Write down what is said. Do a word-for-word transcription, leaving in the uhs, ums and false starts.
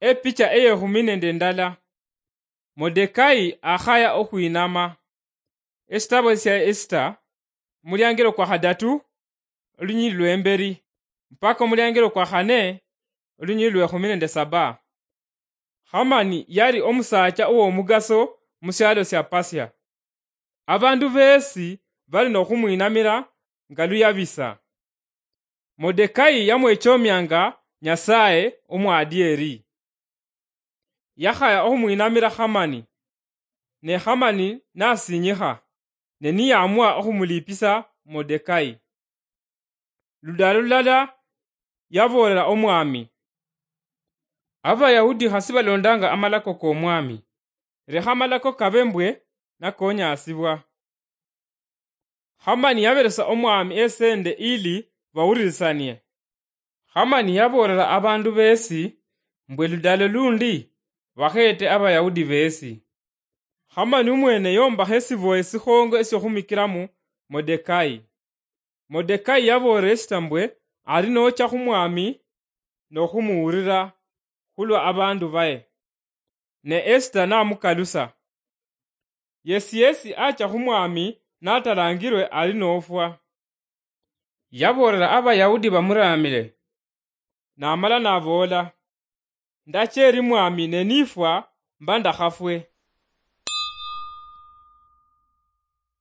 Epicha eyekhumi nende ndala. Modekai akhaya okhwinama. Esitabo sia Esita, omuliangelo kwa khadatu, olunyili lwemberi, mpaka omuliangelo kwa khane, olunyili lwekhumi nende saba. Hamani yali omusaacha ow'omugaso mu syalo sya Pasia. Abandu beesi bali n'okhumwinamira nga luyabisa. Modekai yamwechomianga Nyasaye omwadieri. Yakhaya okhumwinamira Hamani, ne Hamani nasinyikha, ne niyamwa okhumulipisa Modekai. Ludalo lulala yaboolela omwami, "Abayahudi khasi balondanga amalako k'omwami, lekha amalako kabe mbwe nakonyasibwa." Hamani yaberesa omwami esende ili bawulirisanie. Hamani yaboolela abandu beesi mbwe ludalo lundi bakheete Abayahudi beesi. Hamani omwene yombakha esiboye sikhongo esiokhumikiramu Modekai. Modekai yaboolela Esita mbwe ali noocha khumwami nokhumuwulira khulwa abandu baye. Ne Esita namukalusa. Yesi yesi acha khumwami natalangirwe ali nofwa. Yaboolela Abayahudi bamuraamile, namala naboola, "Ndacha eri mwami ne nifwa mba ndakhafwe."